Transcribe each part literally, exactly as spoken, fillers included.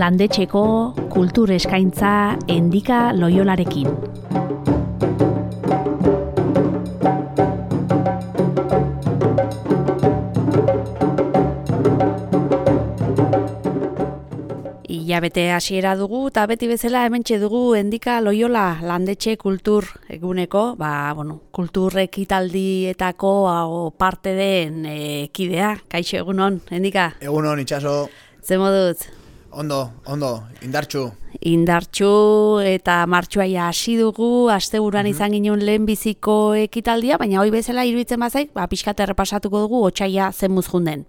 landetxeko kultur eskaintza Endika Loiolarekin. Ilabete hasiera dugu eta beti bezala hementxe dugu Endika Loiola landetxe kultur eguneko, ba, bueno, kultur ekitaldietako hau parte den e, kidea. Kaixo, egunon, Endika? Egunon, itxaso. Ze moduz? Ondo, ondo, indartxu. Indartxu eta martxoaia hasi dugu, asteburuan mm-hmm. izan ginen lehenbiziko ekitaldia, baina hoi bezala iruditzen bazaik, ba, pixkat errepasatuko dugu otsaila zen muzjunden.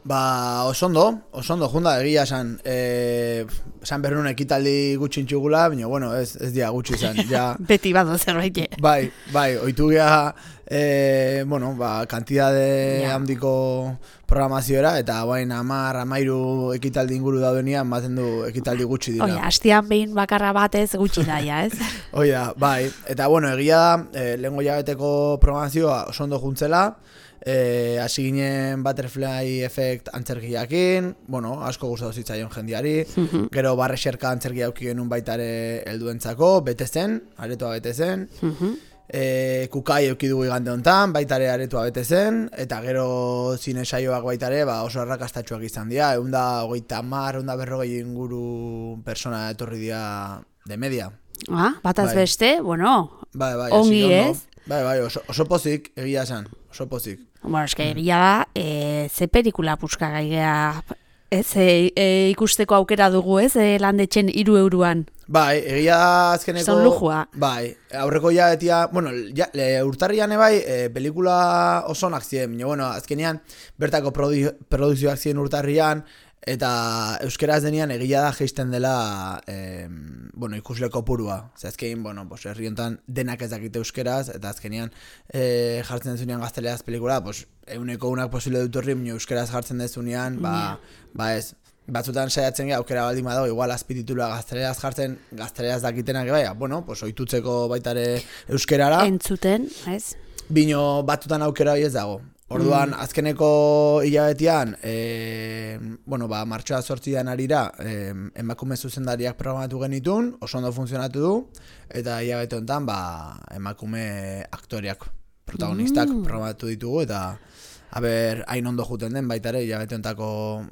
Ba, osondo, osondo, junda, egia esan, e, esan berrun ekitaldi gutxi intxugula, baina, bueno, ez, ez dia gutxi izan, ja... Beti bado zerbait. Bai, bai, oitu gea, e, bueno, ba, kantidade ja. handiko programazioera, eta bain amar, amairu ekitaldi inguru daudenian, baten du ekitaldi gutxi dira. Oia, hastian behin bakarra batez gutxi daia, ez? Oia, bai, eta, bueno, egia da, e, lehengo jabeteko programazioa osondo juntzela, Eh, hasi ginen Butterfly Effect antzerkiakin, bueno, asko gustatu zitzaion jendiari, mm-hmm. gero Barrexerka antzerkia auki genuen baitare helduentzako, bete zen, aretoa bete zen, mm-hmm. eh, Kukai auki dugu igande hontan, baitare aretoa bete zen, eta gero zine saioak baitare ba, oso arrakastatxuak izan dira, eunda hogeita hamar, eunda berrogei inguru persona etorri dira de media. Ah, bataz bai. Beste, bueno, bai, bai, ongi ez? Bai, bai, oso, oso pozik, egia esan, oso pozik. Bueno, eske egia da, e, ze pelikula puska gaigea, ez, e, e, ikusteko aukera dugu, ez, e, landetxen hiru euroan. Bai, egia da azkeneko... Zon lujua. Bai, aurreko ja betia, bueno, ja, le, urtarrian ebai, e, pelikula oso onak ziren, bueno, azkenean bertako produ, produzioak ziren urtarrian, eta euskeraz denean egia da geisten dela eh, bueno, ikusle kopurua. Zer azkenean, bueno, pues, herri hontan denak ez dakite euskeraz, eta azkenean eh, jartzen dezunean gazteleaz pelikula, pues, euneko unak posible dut horri, minio euskeraz jartzen dezunean, ba, yeah. ba ez, batzutan saiatzen gara, aukera baldin badago, igual azpititulua gazteleaz jartzen, gazteleaz dakitenak, bai, bueno, pues, oitutzeko baitare euskerara. Entzuten, ez? Bino batzutan aukera hori ez dago. Orduan, mm. azkeneko hilabetian, e, bueno, ba, martxoa zortzian arira, e, emakume zuzendariak programatu genitun, oso ondo funtzionatu du, eta hilabete honetan, ba, emakume aktoriak, protagonistak mm. programatu ditugu, eta aber, hain ondo juten den, baita ere, hilabete honetako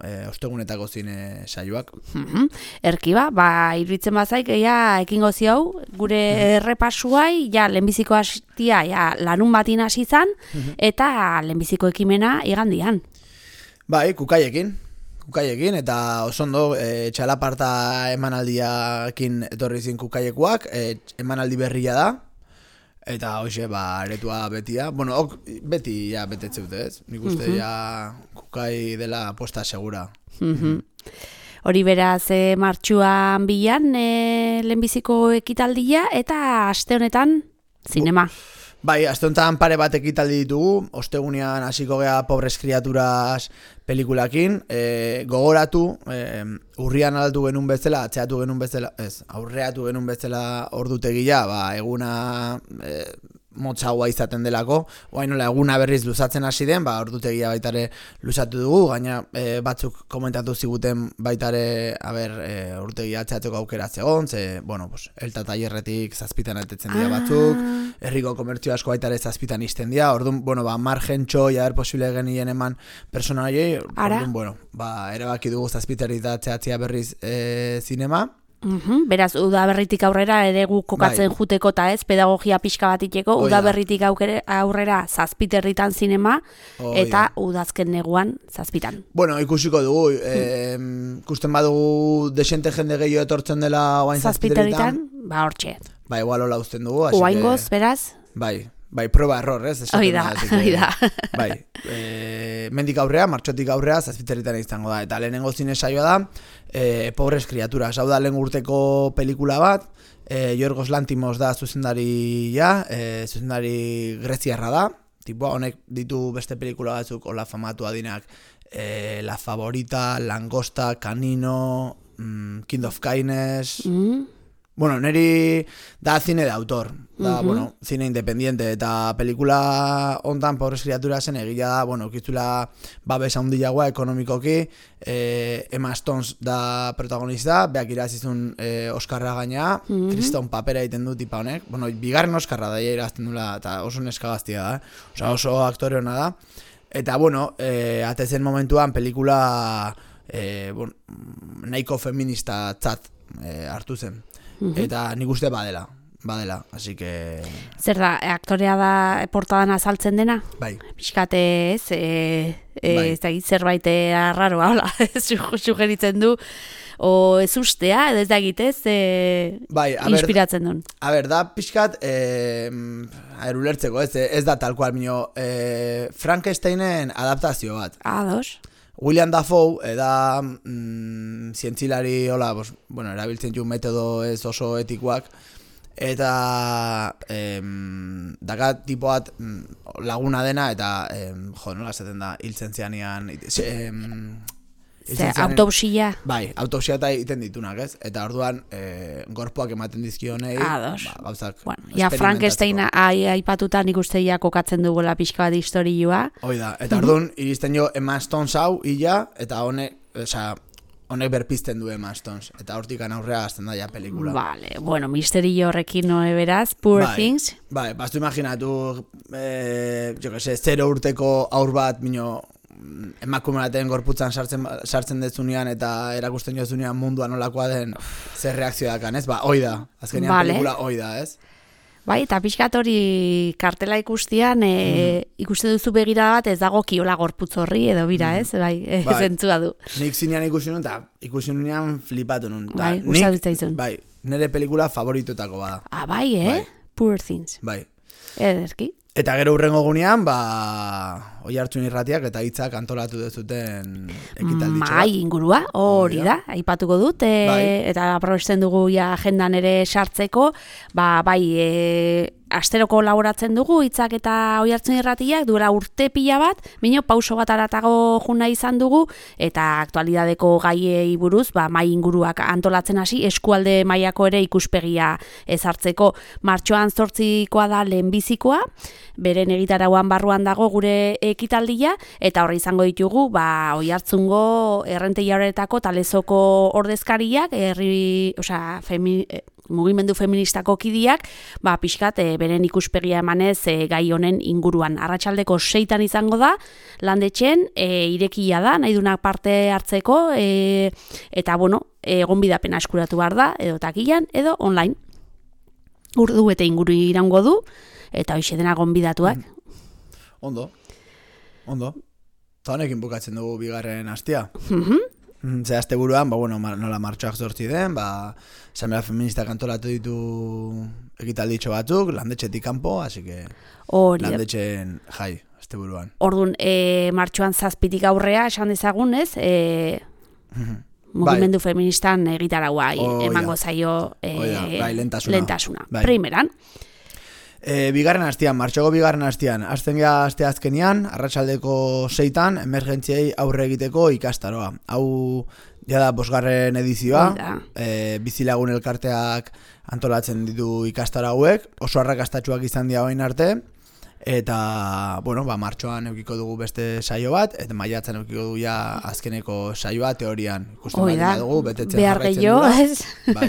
e, ostegunetako zine saioak. Mm-hmm. Erkiba, ba, iruditzen bazaik, ja, ekingo ziau, gure mm-hmm. errepasuai, ja, lehenbiziko hastia, ja, lanun batin hasi zan, mm-hmm. eta lehenbiziko ekimena igandian. Bai, kukaiekin. Kukaiekin, eta oso ondo, e, txalaparta emanaldiakin etorri zin kukaiekuak, e, emanaldi berria da, eta hoxe, ba, aretua betia. Bueno, ok, beti, ja, betetzeute, ez? Nik uste, mm-hmm. ja, kukai dela aposta segura. Mm-hmm. Hori beraz, e, martxuan bilan, e, lehenbiziko ekitaldia, eta aste honetan, zinema. Bai, aste honetan pare bat ekitaldi ditugu, ostegunean hasiko gea Pobres Criaturas pelikulakin, e, gogoratu, e, urrian aldatu genuen bezala, atzeatu genuen bezala, ez, aurreatu genuen bezala ordutegia, ba, eguna e, motzagoa izaten delako, oain nola eguna berriz luzatzen hasi den, ba, ordutegia baitare luzatu dugu, gaina e, batzuk komentatu ziguten baitare, haber, e, ordutegia atzeateko aukera zegoen, ze, bueno, pues, elta tailerretik zazpitan altetzen dira batzuk, herriko komertzio asko baitare zazpitan izten dira, orduan, bueno, ba, margen txoi, haber, posible genien eman persona horiei, orduan, bueno, ba, erabaki dugu zazpiterri da atzeatzea berriz e, zinema. Uhum, beraz, udaberritik aurrera ere gu kokatzen bai. Juteko eta ez, pedagogia pixka bat iteko, udaberritik aurrera zazpiterritan zinema, Oida. Eta udazken neguan zazpitan. Bueno, ikusiko dugu, eh, ikusten badugu desente jende gehiago etortzen dela oain zazpiterritan. Ba, hortxe. Ba, igual hola uzten dugu. Oaingoz, que... beraz? Bai. Bai, proba error, ez? Oida, oida. Bai, e, mendik aurrea, martxotik aurrea, zazpiterritan izango da. Eta lehenengo zine saioa da, e, Pobres Criaturas. Hau da lehen urteko pelikula bat, e, Yorgos Lantimos da zuzendaria, e, zuzendari greziarra da. Tipo, honek ditu beste pelikula batzuk, hola famatu adinak, e, La Favorita, Langosta, Canino, mm, Kind of Kindness... Mm. Bueno, neri da cine de autor, da, Mhm. bueno, cine independiente, eta pelikula hontan Pobres Criaturasen egila da, bueno, kiztula babes handiagoa ekonomikoki, eh, Emma Stones da protagonista, beak irazizun eh, Oskarra gaina, Mhm. kriston papera egiten du tipa honek, bueno, bigarren Oskarra da irazten dula, eta oso neskagaztia da, eh? Osa, oso aktore hona da, eta, bueno, eh, atezen momentuan pelikula eh, bueno, nahiko feminista tzat eh, hartu zen. Eta nik uste badela, badela, así que... Zer da, aktorea da portadan azaltzen dena? Bai. Pixkate ez, e, e, Bai. ez da, zerbait arraroa, hola, su- sugeritzen du, o ez ustea, edo ez da egitez, e, Bai, a ber, inspiratzen duen. a ber, da pixkat, eh, aher, ulertzeko, ez, ez da tal cual, minio, eh, Frankensteinen adaptazio bat. Ados. William Dafoe, eda mm, zientzilari, hola, bos, bueno, erabiltzen ju metodo ez oso etikoak, eta em, daka tipoat mm, laguna dena, eta em, jo, nola esaten da, hiltzen zianian, em, Ze, autopsia. Bai, autopsia eta egiten ditunak, ez? Eta orduan, e, gorpoak ematen dizkionei, Ados. ba, gauzak Bueno, ja Frankenstein ai, aipatuta nik uste ja kokatzen dugula pixka bat historioa. Hoi da, eta orduan, iristen jo Emma Stones hau, illa, eta honek, osea, honek berpizten du Emma Stones, eta hortik aurrea azten da ja pelikula. Vale, bueno, misterio horrekin noe beraz, Poor bai, Things. Bai, bastu imaginatu, eh, jo que se, zero urteko aur bat, mino, emakume baten gorputzan sartzen sartzen dezunean eta erakusten jozunean mundua nolakoa den zer reakzio dakan, ez? Ba, hoi da. Azkenean Vale. pelikula hoi da, ez? Bai, eta pixkat hori kartela ikustian, e, ikuste duzu begira bat ez dago kiola gorputz horri edo bira, ez? Bai, e, Bai. zentzua du. Nik zinean ikusi nun, eta ikusi nunean flipatu nun. Ta Bai, nik- gustatu zitzaizun. Bai, nire pelikula favoritotako bada. Ah, bai, eh? Bai. Poor Things. Bai. Ederki. Eta gero hurrengo gunean, ba, oi hartzun irratiak eta hitzak antolatu dezuten ekitalditxo bat. Mai ingurua, hori Hori da, aipatuko dut, e, Bai. eta aprobesten dugu ja agendan ere sartzeko, ba, bai, e, asteroko laboratzen dugu, hitzak eta oi hartzun irratiak, duela urte pila bat, bino pauso bat aratago juna izan dugu, eta aktualidadeko gaiei buruz, ba, mai inguruak antolatzen hasi, eskualde mailako ere ikuspegia ezartzeko. Martxoan zortzikoa da lehenbizikoa, beren egitarauan barruan dago gure ekitaldia, eta horri izango ditugu, ba, Oiartzungo errentei horretako talezoko ordezkariak, herri, osea, femi, eh, mugimendu feministako kidiak, ba, pixkat, e, beren ikuspegia emanez e, gai honen inguruan. Arratsaldeko seitan izango da, landetxen, e, irekia da, nahi dunak parte hartzeko, e, eta, bueno, egonbidapena eskuratu behar da, edo takilan, edo online. Urdu eta inguru irango du, eta hoxe dena gonbidatuak. Ondo, ondo. Eta honekin bukatzen dugu bigarren astia. Mhm. Mm, Ze aste buruan, ba, bueno, mar, nola martxoak zortzi den, ba, Asamblea Feministak antolatu ditu ekitalditxo batzuk, landetxetik kanpo, así que Hori da. landetxen jai, aste buruan. Orduan, e, martxoan zazpitik aurrea, esan dezagun, ez? E, mugimendu feministan egitaraua Hoi da. emango zaio e, Hoi da, bai, lehentasuna. lehentasuna. Bai. Primeran. E, bigarren astian, martxoko bigarren astian, azten gea aste azkenian, arratsaldeko seitan, emergentziei aurre egiteko ikastaroa. Hau, ja da, bosgarren edizioa, Hoi da. e, bizilagun elkarteak antolatzen ditu ikastaro hauek, oso arrakastatsuak izan dira orain arte, eta, bueno, ba, martxoan eukiko dugu beste saio bat, eta maiatzen eukiko dugu ja azkeneko saioa teorian. Ikusten Hoi baldin da. badugu, betetzen Behar jarraitzen gehiago, dugula. ez? Bai.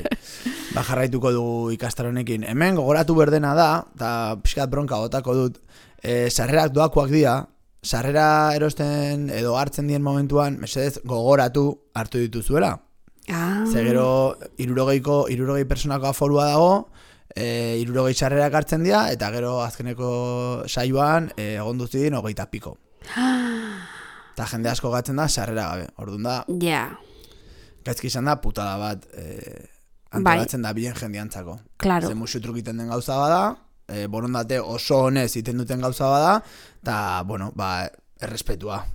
Ba, jarraituko dugu ikastaronekin. Hemen gogoratu berdena da, eta pixkat bronka botako dut, e, sarrerak doakoak dira, sarrera erosten edo hartzen dien momentuan, mesedez gogoratu hartu dituzuela. Ah. Ze gero, irurogeiko, irurogei personako aforua dago, e, irurogei sarrerak hartzen dira, eta gero azkeneko saioan e, egon duzidin hogeita piko. Eta jende asko gatzen da sarrera gabe. Orduan da, Ja, gaizki izan da putada bat e, antolatzen da bien jendiantzako. claro. Ze musu trukiten den gauza bada, e, borondate oso honez iten duten gauza bada, eta, bueno, ba, errespetua.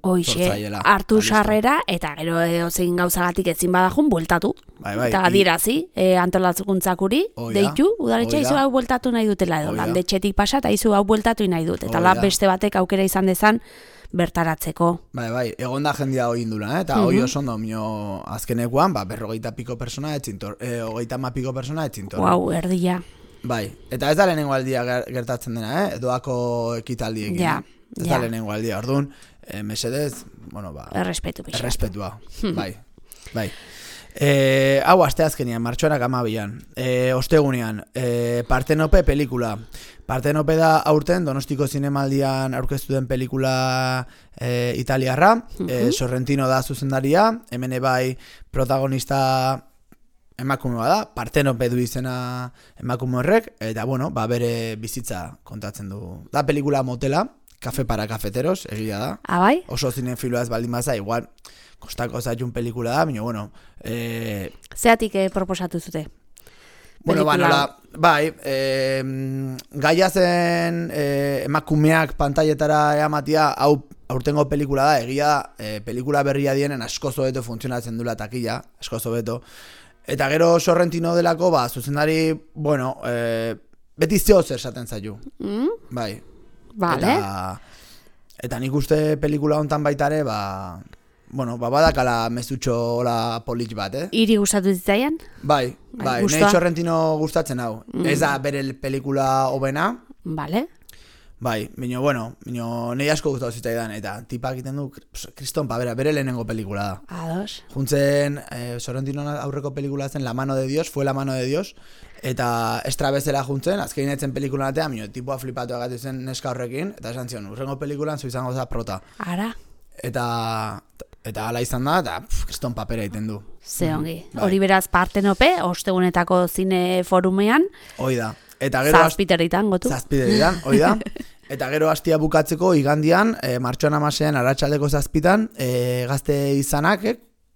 Hoxe, Sortzaiela. hartu Ba, listo. sarrera, eta gero edozein gauzagatik ezin badajun, bueltatu. Bai, bai, Eta i- adirazi, e, antolatzukuntzakuri, Hoi da, deitu, udaletxe hoi izu da. hau bueltatu nahi dutela edo, Hoi da. landetxetik pasa, eta izu hau bueltatu nahi dut. Eta Hoi lab da. beste batek aukera izan dezan, bertaratzeko. Bai, bai, egon da jendia hoi indula, eh? Eta hoi oso ondo, mino azkenekoan, ba, berrogeita piko persona etxintor, eh, hogeita ma piko persona etxintor. Wow, erdia. Bai, eta ez da lehenengo aldia gertatzen dena, eh? Doako ekitaldiekin. Ja, ez ja. da lehenengo aldia, orduan, eh, mesedez, bueno, ba... Errespetu pixat. Errespetua, bai, bai. E, hau asteazkenian, martxoarak amabian, e, ostegunean, e, Partenope pelikula. Partenope da aurten Donostiko Zinemaldian aurkeztu den pelikula e, italiarra, e, Sorrentino da zuzendaria, hemen bai protagonista emakume da, Partenope du izena emakume horrek, eta bueno, ba bere bizitza kontatzen du. Da pelikula motela, Kafe para kafeteros, egia da. Ah, bai? Oso zinefiloa ez baldin baza, igual kostako zaitun pelikula da, baina, bueno... Eh... Zeatik eh, proposatu zute? Bueno, ba, nola, bai, eh, gaia zen eh, emakumeak pantailetara eamatia, hau aurtengo pelikula da, egia da, eh, pelikula berria dienen asko zobeto funtzionatzen dula takila, asko zobeto. Eta gero Sorrentino delako, ba, zuzendari, bueno, eh, beti zeo zer esaten zaitu. Mm? Bai. Vale. Eta, eta nik uste pelikula hontan baitare, ba... Bueno, ba, badakala mezutxo hola polit bat, eh? Iri gustatu zitzaian? Bai, bai, bai nahi Sorrentino gustatzen hau. Mm. Ez da bere pelikula hobena. Vale. Bai, bino, bueno, bino, nahi asko gustatu zitzaidan, eta tipa egiten du, kriston, pa, bera, bere lehenengo pelikula da. Ados. Juntzen, eh, Sorrentino aurreko pelikula zen La mano de Dios, fue La mano de Dios, eta estra bezala juntzen, azkein etzen pelikula natea, bino, tipua flipatu egatu zen neska horrekin, eta esan zion, urrengo pelikulan zu izango za prota. Ara. Eta... Eta ala izan da, eta kriston papera egiten du. Ze ongi. Bai. Hori beraz Partenope, ostegunetako zine forumean. Hoi da. Eta gero Zazpiteritan, gotu. Zazpiteritan, hoi da. Eta gero hastia bukatzeko igandian, e, martxoan amasean, arratsaldeko zazpitan, e, gazte izanak,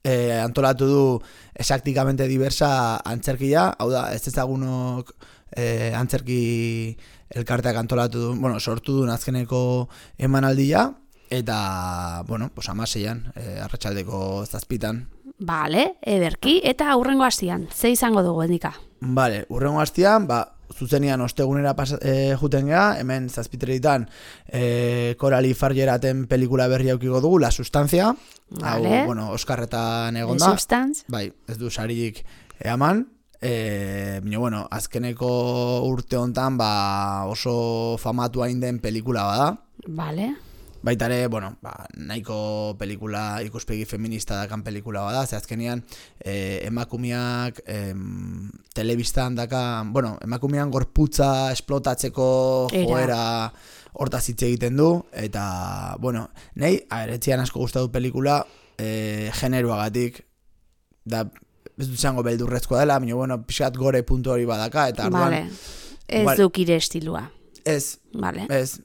e, antolatu du exactikamente diversa antzerkia, hau da, ez ezagunok e, antzerki elkarteak antolatu du, bueno, sortu du azkeneko emanaldia, eta, bueno, pues amaseian, e, arratsaldeko zazpitan. Vale, ederki, eta aurrengo hastian, ze izango dugu, endika? Vale, urrengo hastian, ba, zuzenian ostegunera pasa, e, juten geha, hemen zazpiteritan e, Coralie Fargeraten pelikula berri aukiko dugu, La Sustancia, vale. Hau, bueno, Oskarretan egon da. Substance. Bai, ez du sarik eaman, e, bino, bueno, azkeneko urte hontan, ba, oso famatu hain den pelikula bada. Vale. Baitare, bueno, ba, nahiko pelikula, ikuspegi feminista dakan pelikula bada, ze azkenean eh, emakumeak eh, telebistan dakan, bueno, emakumean gorputza esplotatzeko joera hortaz hitz egiten du, eta, bueno, nahi, aeretzian asko gustatu pelikula eh, generoagatik, da, ez dut zango beldurrezkoa dela, baina, bueno, pixat gore puntu hori badaka, eta arduan... Vale, ez igual, dukire estilua. Ez, vale. Ez,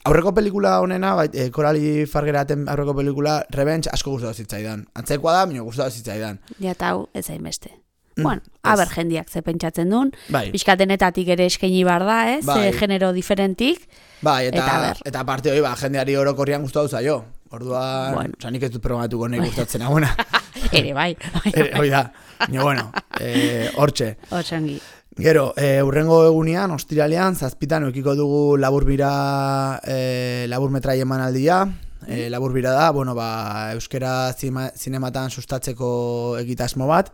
aurreko pelikula honena, bai, e, Coralie Fargeraten aurreko pelikula, Revenge asko gustatu zitzaidan. Antzekoa da, baina gustatu zitzaidan. Ja, eta hau, ez hainbeste. Mm, bueno, aber jendiak ze pentsatzen duen, bai. Pixkatenetatik ere eskaini bar da, ez? Bai. Genero diferentik. Bai, eta, eta, eta parte hori, ba, jendeari orokorrian gustatu zaio. Orduan, bueno. Oza, nik ez dut probatuko nahi gustatzen haguna. Ere, bai. Hori da, baina, bueno, eh, hortxe. Otsangi. Gero, e, urrengo egunean, ostiralean, zazpitan okiko dugu laburbira, e, laburmetrai emanaldia. E, laburbira da, bueno, ba, euskera zima, zinematan sustatzeko egitasmo bat,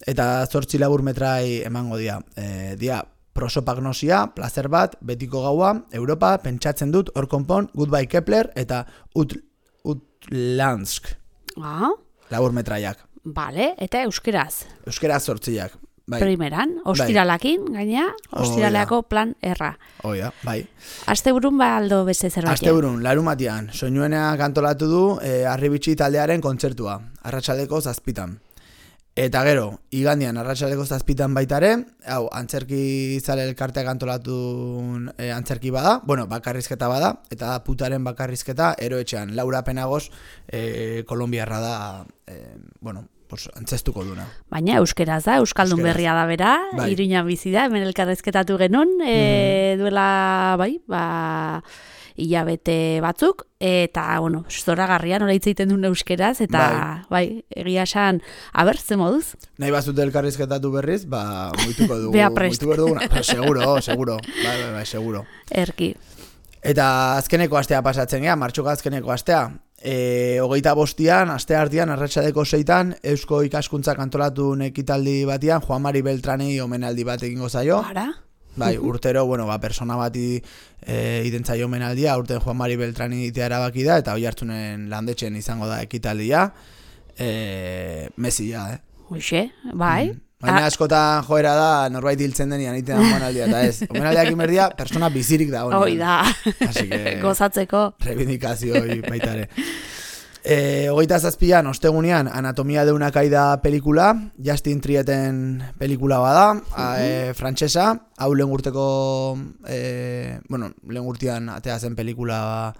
eta zortzi laburmetrai emango dia. E, dia, prosopagnosia, placer bat, betiko gaua, Europa, pentsatzen dut, hor konpon, Goodbye Kepler, eta Ut, Utlansk. Ah. Laburmetraiak. Vale, eta euskeraz. Euskeraz zortziak. Bai. Primeran, ostiralakin, bai. Gaina, ostiraleako plan erra. Oia, bai. Asteburun ba aldo beste zerbait. Asteburun, larumatian, soinuenak antolatu du e, Arribitxi taldearen kontzertua, arratsaldeko zazpitan. Eta gero, igandian arratsaldeko zazpitan baitare, hau, antzerki zale elkarteak antolatu e, antzerki bada, bueno, bakarrizketa bada, eta da putaren bakarrizketa, eroetxean, Laura Penagos, e, kolombiarra da, e, bueno, pues, antzestuko duna. Baina euskeraz da, euskaldun euskeraz. Berria da bera, bai. Iruñan bizi da, hemen elkarrezketatu genuen, mm. e, duela, bai, ba, hilabete batzuk, eta, bueno, zoragarria nola hitz egiten duen euskeraz, eta, bai, bai egia esan, aber, ze moduz? Nahi bazute elkarrizketatu berriz, ba, muituko dugu. Bea prest. Muituko dugu, seguro, seguro, bai, bai, bai, seguro. Erki. Eta azkeneko astea pasatzen gea, martxoko azkeneko astea. E, hogeita bostian, aste artean, arratsaldeko seitan, Eusko Ikaskuntzak antolatu ekitaldi batian, Juan Mari Beltranei omenaldi bat egingo zaio. Ara? Bai, urtero, bueno, ba, persona bati e, identzaio omenaldia, urten Juan Mari Beltrani itea erabaki da, eta Oiartzunen landetxen izango da ekitaldia. E, Mesia, eh? Uxe, bai. Mm. Baina askotan joera da, norbait hiltzen denian itean omenaldia, eta ez. Omenaldiak inberdia, persona bizirik da. Hoi da, que, gozatzeko. Reivindikazioi baitare. E, hogeita zazpian, ostegunean, Anatomia de una caída pelikula, Justin Trieten pelikula bada, uh-huh. e, frantsesa, hau lehen urteko, e, bueno, lehen urtean atea zen pelikula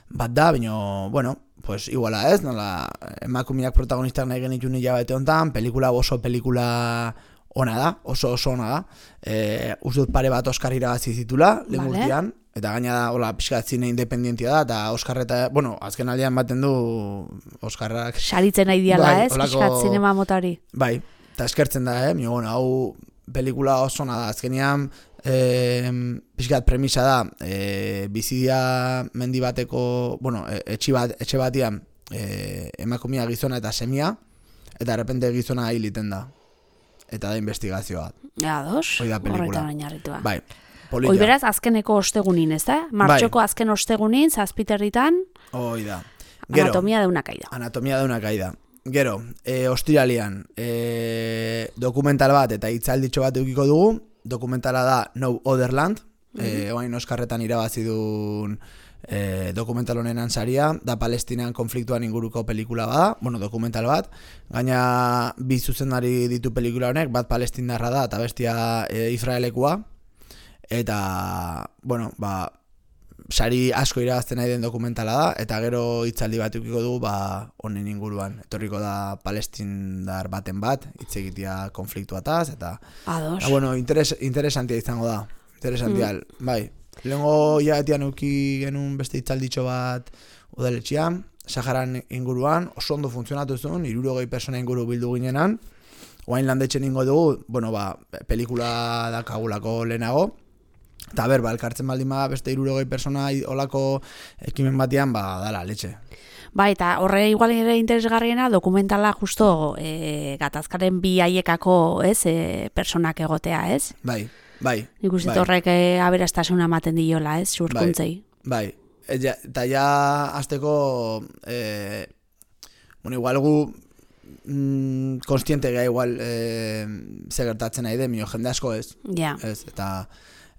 bat da, baina, bueno, pues iguala ez, nola, emakumeak protagonistak nahi genitun hilabete hontan, pelikula oso pelikula ona da, oso oso ona da, e, uste dut pare bat Oscar irabazi zitula, lehen vale. Urtean, eta gaina da, hola, pixkat zine independientia da, eta Oscar eta, bueno, azken aldean baten du Oscarrak. Saritzen nahi diala, bai, ez, olako, pixkat zinema motari. Bai, eta eskertzen da, eh, bueno, hau pelikula oso ona da, azkenean, E, pixkat premisa da e, bizidia mendi bateko, bueno, etxe, bat, etxe batian e, emakumea gizona eta semia, eta errepente gizona hiliten da, eta da investigazioa. Ja, dos, horretan oinarritua. Bai, polita. Hoi beraz, azkeneko ostegunin, ez da? Martxoko bai. Azken ostegunin, zazpiterritan, hoi da. Gero, Anatomia de una caída. Anatomia de una caída. Gero, e, ostiralian, e, dokumental bat eta hitzalditxo bat eukiko dugu, dokumentala da No Other Land, mm-hmm. e, oain Oskarretan irabazi duen e, dokumental honen ansaria, da Palestinan konfliktuan inguruko pelikula bada, bueno, dokumental bat, gaina bi zuzendari ditu pelikula honek, bat palestindarra da, eta bestia e, Israelekua, eta, bueno, ba, sari asko irabazten nahi den dokumentala da, eta gero hitzaldi bat ukiko dugu, ba, honen inguruan. Etorriko da palestindar baten bat, hitz egitea konfliktuataz, eta... Ados. Eta, bueno, interes, interesantia izango da. Interesantia, mm. bai. Lehengo hilabetean uki genuen beste hitzalditxo bat udaletxean, Saharan inguruan, oso ondo funtzionatu zuen, hirurogei persona inguru bildu ginenan, oain landetxen ingo dugu, bueno, ba, pelikula dakagulako lehenago, eta ber, ba, elkartzen baldin ba, beste hirurogei persona olako ekimen batean, ba, dala, letxe. Ba, eta horre igual ere interesgarriena dokumentala justo e, gatazkaren bi haiekako, ez, e, personak egotea, ez? Bai, bai. Ikusten bai. Horrek e, aberastasuna ematen diola, ez, surkuntzei. Bai, bai. Eta ja, ja azteko, e, bueno, igual gu mm, konstiente gara igual e, ze gertatzen nahi de, mio jende asko ez. Ja. Ez, eta...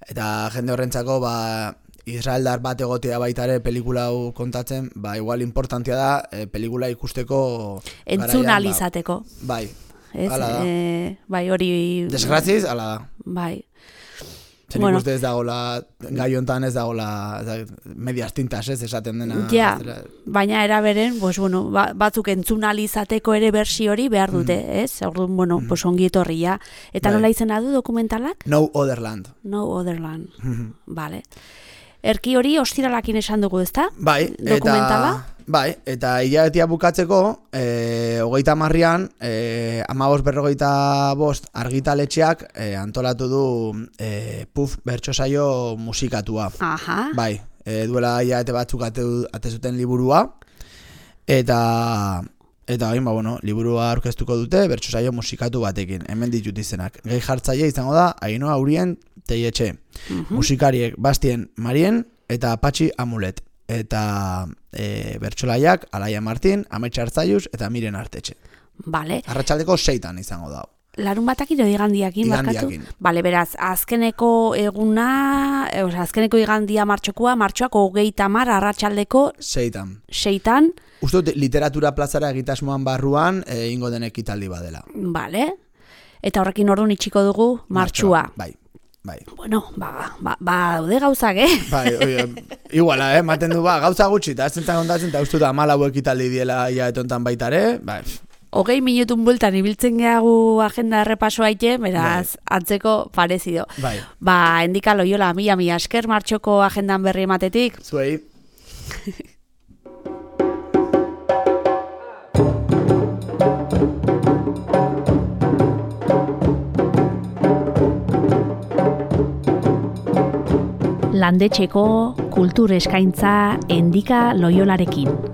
Eta jende horrentzako, ba, israeldar bat egotea baita ere pelikula hau kontatzen, ba, igual importantia da, e, pelikula ikusteko... Entzun alizateko. Ba, bai, ez, ala da. E, bai, hori... Desgraziz, ala da. Bai. Zer bueno. Ikuste ez dagoela, gai hontan ez dagoela, medias tintas ez, esaten dena. Ja, baina eraberen, pues, bueno, batzuk entzunalizateko ere bersi hori behar dute, mm. ez? Orduan, bueno, mm. pues, ongi etorria. Eta bai. Nola izena du dokumentalak? No Other Land. No Other Land, mm-hmm. Vale. Erki hori ostiralakin esan dugu, ezta? Bai, dokumentala? Eta... Bai, eta hilabetea bukatzeko, e, hogeita marrian, e, amabos berrogeita bost argitaletxeak e, antolatu du e, Puf bertsosaio musikatua. Aha. Bai, e, duela hilabete batzuk ate, ate zuten liburua, eta eta bain, ba, bueno, liburua aurkeztuko dute bertsosaio musikatu batekin, hemen ditut izenak. Gehi jartzaile izango da, Ainhoa Urien Teietxe, uh-huh. Musikariek Bastien Marien eta Patxi Amulet. Eta e, bertsolaiak Alaia Martin, Ametxe Artzaiuz eta Miren Artetxe. Vale. Arratsaldeko seitan izango da. Larun batak edo igandiakin, barkatu? Bale, beraz, azkeneko eguna, e, azkeneko igandia martxokoa, martxoako hogeita mar arratsaldeko seitan. Seitan. Uste dut literatura plazara egitasmoan barruan e, ingo den ekitaldi badela. Bale. Eta horrekin orduan itxiko dugu martxua. Bai. Bai. Bueno, ba, ba, ba, daude gauzak, eh? Bai, oie, iguala, eh? Maten du, ba, gauza gutxi, eta ez zentan kontatzen, eta uste da malau ekitaldi diela ia etontan baitare, bai. Hogei minutun bultan ibiltzen gehagu agenda errepaso haite, beraz, bai. Antzeko parezido. Bai. Ba, endika Loiola, mila, mila esker martxoko agendan berri ematetik. Zuei. Landetxeko kultur eskaintza Endika Loiolarekin.